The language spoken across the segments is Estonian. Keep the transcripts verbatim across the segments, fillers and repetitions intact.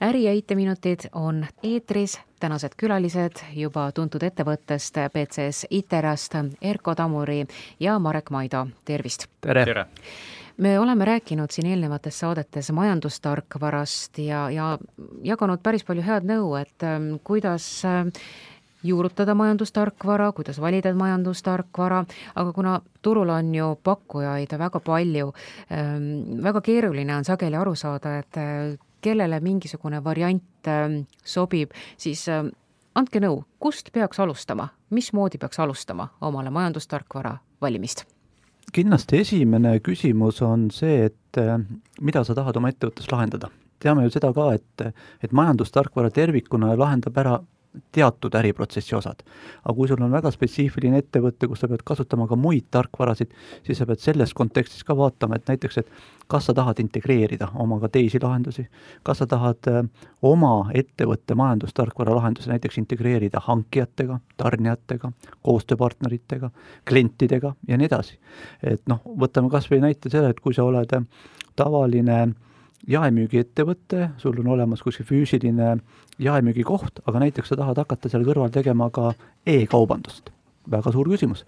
äri- ja I T-minutid on eetris, tänased külalised juba tuntud ettevõttest B C S Iterast, Erko Tamuri ja Marek Maido. Tervist! Tere! Tere. Me oleme rääkinud siin eelnevates saadetes majandustarkvarast ja, ja jaganud päris palju head nõu, et ähm, kuidas äh, juurutada majandustarkvara, kuidas valida majandustarkvara, aga kuna turul on ju pakkujaid väga palju, ähm, väga keeruline on sageli aru saada, et äh, kellele mingisugune variant äh, sobib, siis äh, andke nõu, kust peaks alustama, mismoodi peaks alustama omale majandustarkvara valimist? Kindlasti esimene küsimus on see, et mida sa tahad oma ettevõttes lahendada. Teame ju seda ka, et, et majandustarkvara tervikuna lahendab ära teatud äriprotsessi osad. Aga kui sul on väga spetsiifiline ettevõte, kus sa pead kasutama ka muid tarkvarasid, siis sa pead selles kontekstis ka vaatama, et näiteks, et kas sa tahad integreerida omaga teisi lahendusi, kas sa tahad oma ettevõtte majandustarkvara lahendusi näiteks integreerida hankijatega, tarnijatega, koostööpartneritega, klientidega ja nii edasi. Et noh, võtame kas või näite selle, et kui sa oled tavaline jaemüügi ettevõte, sul on olemas kuskil füüsiline jaemüügi koht, aga näiteks sa tahad hakata seal kõrval tegema ka e-kaubandust. Väga suur küsimus,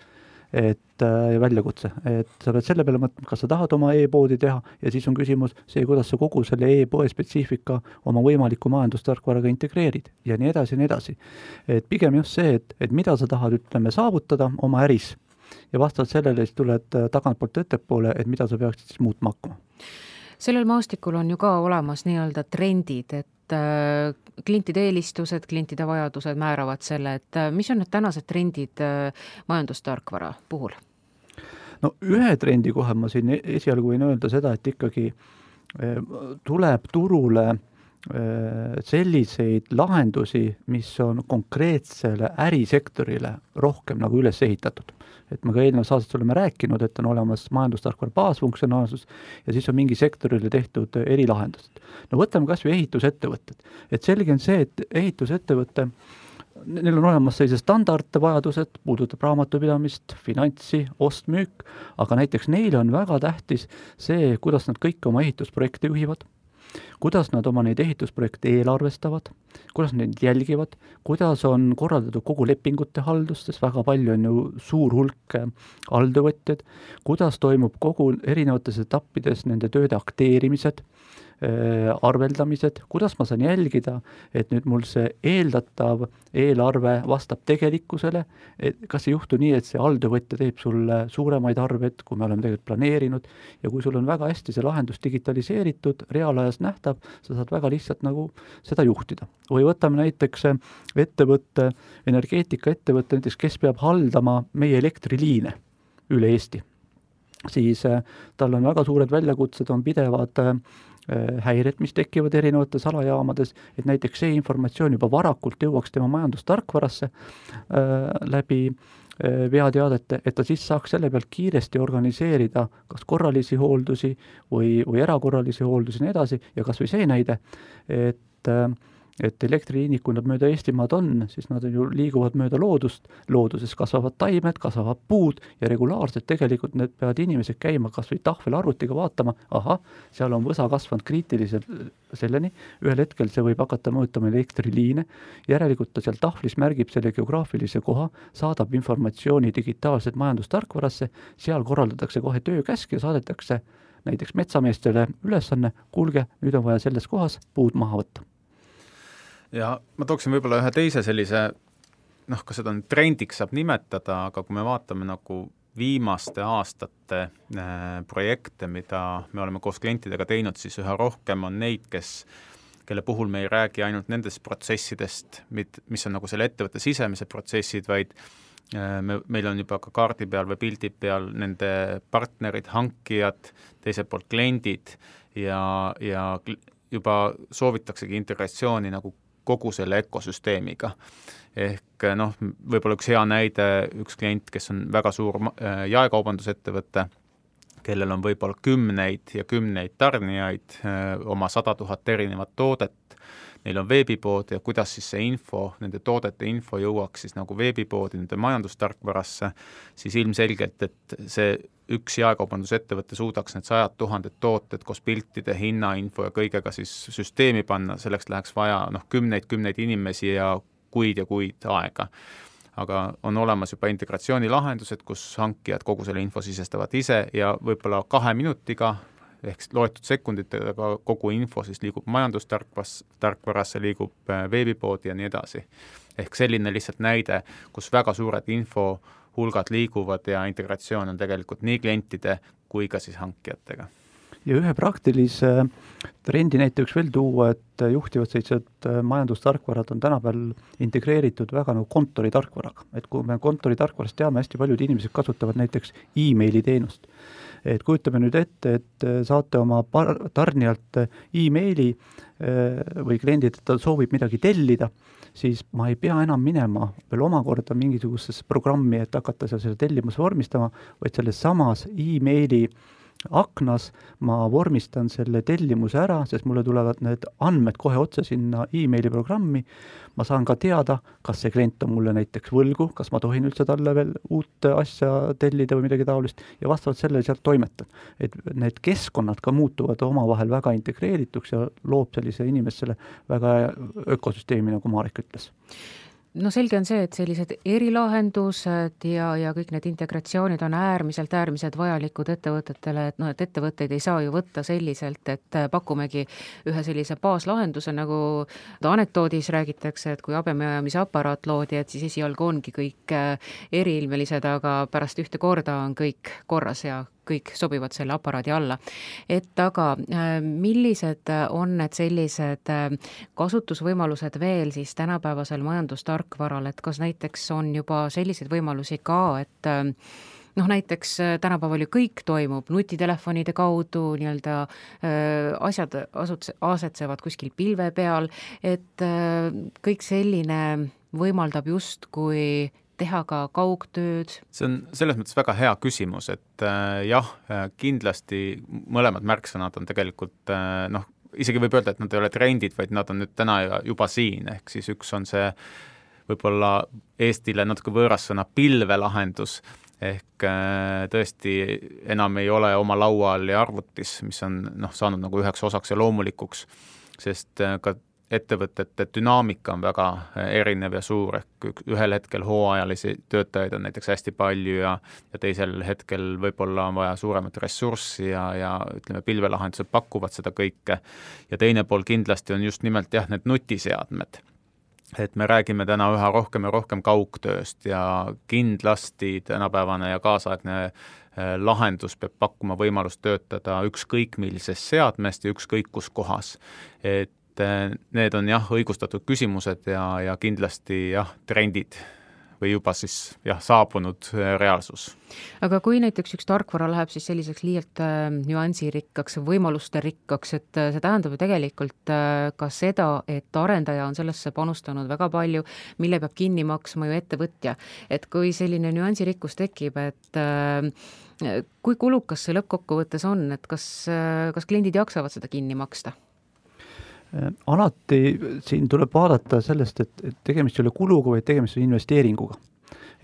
et äh, väljakutse, et sa pead selle peale mõtlema, kas sa tahad oma e-poodi teha ja siis on küsimus see, kuidas sa kogu selle e-poe spetsiifika oma võimaliku majandustarkvaraga integreerid ja nii edasi ja nii edasi. Et pigem just see, et, et mida sa tahad, ütleme, saavutada oma äris ja vastavalt sellele siis tuled tagantpoolt ettepoole, et mida sa peaksid siis muutma hakkama. Sellel maastikul on ju ka olemas nii-öelda trendid, et äh, klientide eelistused, klientide vajadused määravad selle, et äh, mis on need tänased trendid äh, majandustarkvara puhul? No ühe trendi kohe ma siin esialgu võin öelda seda, et ikkagi äh, tuleb turule äh, selliseid lahendusi, mis on konkreetsele ärisektorile rohkem nagu üles ehitatud. Et me ka eelnev saadet oleme rääkinud, et on olemas majandustarkvara baasfunktsionaalsus ja siis on mingi sektorile tehtud erilahendused. No võtame kas või ehitusettevõtted. Et selge on see, et ehitusettevõte, neil on olemas sellise standardvajadused, puudutab raamatupidamist, finantsi, ostmüük, aga näiteks neile on väga tähtis see, kuidas nad kõik oma ehitusprojekte juhivad, kuidas nad oma neid ehitusprojekte eelarvestavad, kuidas neid jälgivad, kuidas on korraldatud kogu lepingute haldus, sest väga palju on ju suur hulk halduvõtjad, kuidas toimub kogu erinevates etappides nende tööde akteerimised, arveldamised, kuidas ma saan jälgida, et nüüd mul see eeldatav eelarve vastab tegelikkusele, et kas ei juhtu nii, et see halduvõtja teeb sulle suuremaid arved, kui me oleme tegelikult planeerinud, ja kui sul on väga hästi see lahendus digitaliseeritud, reaalajas nähtav, sa saad väga lihtsalt nagu seda juhtida. Või võtame näiteks ettevõtte, energeetika ettevõtte, näiteks kes peab haldama meie elektriliine üle Eesti. Siis tal on väga suured väljakutsed, on pidevad häired, mis tekivad erinevates alajaamades, et näiteks see informatsioon juba varakult jõuaks tema majandustarkvarasse äh, läbi äh, veateadete, et ta siis saaks selle pealt kiiresti organiseerida kas korralisi hooldusi või, või erakorralisi hooldusi ja nii edasi ja kas või see näide, et äh, et elektriliinik, kui nad mööda Eestimaad on, siis nad ju liiguvad mööda loodust, looduses kasvavad taimed, kasvavad puud ja regulaarselt tegelikult need peavad inimesed käima kas või tahvelarvutiga vaatama, aha, seal on võsa kasvanud kriitiliselt selleni, ühel hetkel see võib hakata mõõtama elektriliine, järelikult ta seal tahvlis märgib selle geograafilise koha, saadab informatsiooni digitaalselt majandustarkvarasse, seal korraldatakse kohe töökäsk ja saadetakse näiteks metsameestele ülesanne, kuulge, nüüd on vaja selles kohas puud maha võtta. Ja ma tooksin võib-olla ühe teise sellise, noh, kas seda on trendiks saab nimetada, aga kui me vaatame nagu viimaste aastate äh, projekte, mida me oleme koos klientidega teinud, siis üha rohkem on neid, kes, kelle puhul me ei räägi ainult nendest protsessidest, mis on nagu selle ettevõtte sisemise protsessid, vaid äh, me, meil on juba ka kaardi peal või pildi peal nende partnerid, hankijad, teiselt poolt kliendid ja, ja juba soovitaksegi integratsiooni nagu kogu selle ökosüsteemiga. Ehk noh, võib-olla üks hea näide, üks klient, kes on väga suur jaekaubandusettevõte, kellel on võib-olla kümneid ja kümneid tarnijaid, oma sada tuhat erinevat toodet, neil on veebipood ja kuidas siis see info, nende toodete info jõuaks siis nagu veebipoodi, nende majandustarkvarasse, siis ilmselgelt, et see üks jaekaubandusettevõte suudaks need sajad tuhanded tooted koos piltide, hinnainfo ja kõigega siis süsteemi panna, selleks läheks vaja noh, kümneid, kümneid inimesi ja kuid ja kuid aega. Aga on olemas juba integratsioonilahendused, kus hankijad kogu selle info sisestavad ise ja võib-olla kahe minutiga ehk loetud sekunditega kogu info siis liigub majandustarkvarasse, tarkvarasse liigub veebipoodi ja nii edasi. Ehk selline lihtsalt näide, kus väga suured infohulgad liiguvad ja integratsioon on tegelikult nii klientide kui ka siis hankijatega. Ja ühe praktilise trendi näiteks veel tuua, et juhtivad sellised majandustarkvarad on tänapäeval integreeritud väga nagu kontoritarkvaraga. Et kui me kontoritarkvarast teame, hästi paljud inimesed kasutavad näiteks e-maili teenust. Et kujutame nüüd ette, et saate oma par- tarnijalt e-maili või kliendid, et ta soovib midagi tellida, siis ma ei pea enam minema veel omakorda mingisugusesse programmi, et hakata seal selle tellimus vormistama, vaid selles samas e-maili aknas ma vormistan selle tellimuse ära, sest mulle tulevad need andmed kohe otse sinna e-maili programmi. Ma saan ka teada, kas see klient on mulle näiteks võlgu, kas ma tohin üldse talle veel uut asja tellida või midagi taolist ja vastavalt sellele sealt toimetan. Et need keskkonnad ka muutuvad omavahel väga integreerituks ja loob sellise inimesele väga ökosüsteemi, nagu Marek ütles. No selge on see, et sellised erilahendused ja, ja kõik need integratsioonid on äärmiselt, äärmiselt vajalikud ettevõtetele, et noh, et ettevõtteid ei saa ju võtta selliselt, et pakumegi ühe sellise baaslahenduse, nagu anekdoodis räägitakse, et kui habemaajamise aparaat loodi, et siis esialgu ongi kõik eriilmelised, aga pärast ühte korda on kõik korras ja kõik sobivad selle aparaadi alla. Et aga millised on need sellised kasutusvõimalused veel siis tänapäevasel majandustarkvaral, et kas näiteks on juba selliseid võimalusi ka, et noh, näiteks tänapäeval ju kõik toimub nutitelefonide kaudu, nii-öelda asjad asetsevad kuskil pilve peal, et kõik selline võimaldab just kui teha ka kaugtööd? See on selles mõttes väga hea küsimus, et äh, jah, kindlasti mõlemad märksõnad on tegelikult äh, noh, isegi võib öelda, et nad ei ole trendid, vaid nad on nüüd täna juba siin, ehk siis üks on see võib-olla Eestile natuke võõras sõna pilvelahendus, ehk äh, tõesti enam ei ole oma laual ja arvutis, mis on noh, saanud nagu üheks osaks ja loomulikuks, sest äh, ka ettevõtete dünaamika on väga erinev ja suur, ehk ühel hetkel hooajalisi töötajaid on näiteks hästi palju ja, ja teisel hetkel võib-olla on vaja suuremat ressurssi ja, ja ütleme, pilvelahendused pakuvad seda kõike. Ja teine pool kindlasti on just nimelt jah, need nutiseadmed. Et me räägime täna üha rohkem ja rohkem kaugtööst ja kindlasti tänapäevane ja kaasaegne lahendus peab pakkuma võimalust töötada ükskõik millises seadmest ja ükskõik kus kohas. Et need on jah, õigustatud küsimused ja, ja kindlasti jah, trendid või juba siis jah, saabunud reaalsus. Aga kui näiteks üks tarkvara läheb siis selliseks liialt äh, nüansirikkaks, võimaluste rikkaks, et äh, see tähendab ju tegelikult äh, ka seda, et arendaja on sellesse panustanud väga palju, mille peab kinni maksma ju ettevõtja. Et kui selline nüansirikkus tekib, et äh, kui kulukas see lõppkokkuvõttes on, et kas, äh, kas kliendid jaksavad seda kinni maksta? Alati siin tuleb vaadata sellest, et, et tegemist ei ole kuluga, vaid tegemist on investeeringuga.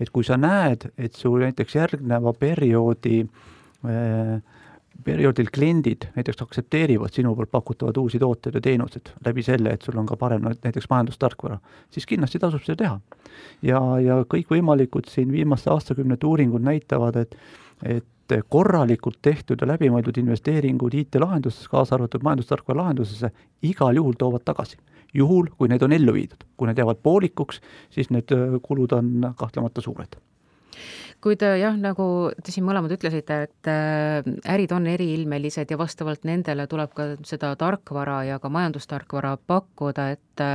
Et kui sa näed, et su näiteks järgneva perioodi, eh, perioodil kliendid näiteks aksepteerivad sinu poolt pakutavad uusi tooted ja teenused läbi selle, et sul on ka parem näiteks majandustarkvara, siis kindlasti tasub seda teha. Ja, ja kõik võimalikud siin viimaste aastakümnete uuringud näitavad, et, et korralikult tehtud ja läbimõeldud investeeringud I T-lahendusesse, kaasa arvatud majandustarkvara lahendusesse, igal juhul toovad tagasi. Juhul, kui need on ellu viidud. Kui need jäävad poolikuks, siis need kulud on kahtlemata suured. Kui te jah, nagu te siin mõlemad ütlesite, et ärid on eriilmelised ja vastavalt nendele tuleb ka seda tarkvara ja ka majandustarkvara pakkuda, et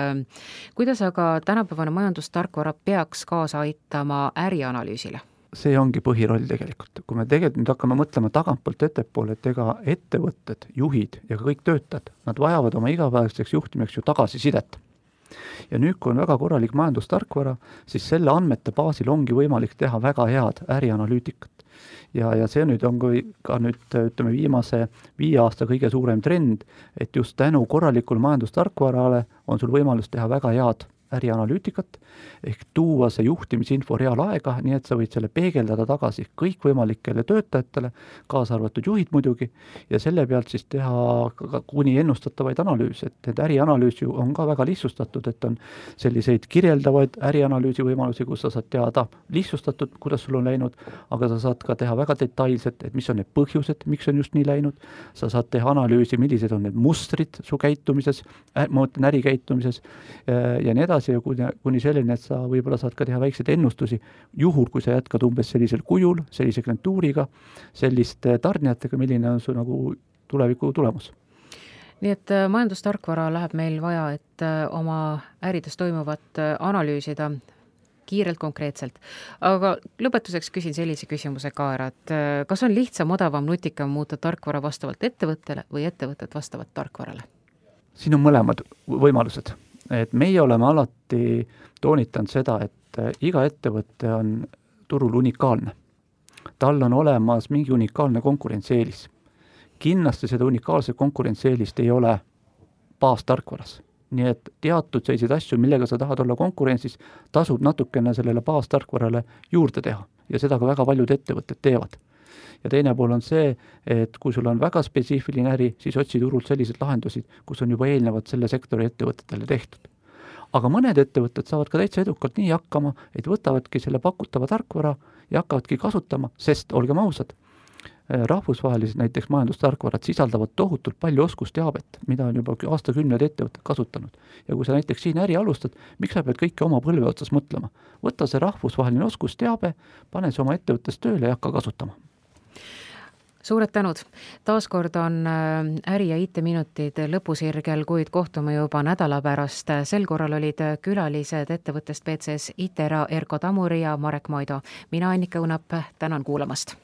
kuidas aga tänapäevane majandustarkvara peaks kaasa aitama ärianalüüsile? See ongi põhiroll tegelikult. Kui me tegelikult nüüd hakkame mõtlema tagantpoolt ettepoole, et ega ettevõtted, juhid ja kõik töötajad, nad vajavad oma igapäevaseks juhtimeks ju tagasisidet. ja nüüd, kui on väga korralik majandustarkvara, siis selle andmete baasil ongi võimalik teha väga head ärianalüütikat. ja, ja see nüüd on kui ka nüüd, ütleme, viimase viie aasta kõige suurem trend, et just tänu korralikul majandustarkvarale on sul võimalus teha väga head ärianalüütikat, ehk tuua see juhtimisinfo reaalaega, nii et sa võid selle peegeldada tagasi kõikvõimalikele töötajatele, kaasa arvatud juhid muidugi, ja selle pealt siis teha ka kuni ennustatavaid analüüse, et need ärianalüüs ju on ka väga lihtsustatud, et on selliseid kirjeldavaid ärianalüüsi võimalusi, kus sa saad teada lihtsustatud, kuidas sul on läinud, aga sa saad ka teha väga detailselt, et mis on need põhjused, miks on just nii läinud, sa saad teha analüüsi, millised on need mustrid su käitumises, ma mõtlen ärikäitumises ja nii edasi, ja kuni, kuni selline, et sa võib-olla saad ka teha väikseid ennustusi, juhul kui sa jätkad umbes sellisel kujul, sellise klientuuriga, selliste tarnijatega, milline on su nagu tuleviku tulemus. Nii et majandustarkvara läheb meil vaja, et oma ärides toimuvat analüüsida kiirelt konkreetselt. Aga lõpetuseks küsin sellise küsimuse ka ära, et kas on lihtsam, odavam, nutikam muuta tarkvara vastavalt ettevõttele või ettevõtted vastavalt tarkvarale? Siin on mõlemad võimalused. Et meie oleme alati toonitanud seda, et iga ettevõte on turul unikaalne. Tal on olemas mingi unikaalne konkurentsieelis. Kindlasti seda unikaalset konkurentsieelist ei ole baastarkvaras. Nii et teatud selliseid asju, millega sa tahad olla konkurentsis, tasub natukene sellele baastarkvarale juurde teha. Ja seda ka väga paljud ettevõtted teevad. Ja teine pool on see, et kui sul on väga spetsiifiline äri, siis otsi turult sellised lahendusid, kus on juba eelnevad selle sektori ettevõtetele tehtud. Aga mõned ettevõtted saavad ka täitsa edukalt nii hakkama, et võtavadki selle pakutava tarkvara ja hakkavadki kasutama, sest olgem ausad, rahvusvahelised näiteks majandustarkvarad sisaldavad tohutult palju oskusteabet, mida on juba aastakümned ettevõtted kasutanud. Ja kui sa näiteks siin äri alustad, miks sa pead kõike oma põlve otsas mõtlema? Võta see rahvusvaheline oskusteabe, pane see oma ettevõttes tööle ja hakka kasutama. Suured tänud. Taaskord on äri- ja I T-minutid lõpusirgel, kuid kohtume juba nädala pärast. Sel korral olid külalised ettevõttest B C S Itera Erko Tamuri ja Marek Moido. Mina, Annika Õunap, tänan kuulamast.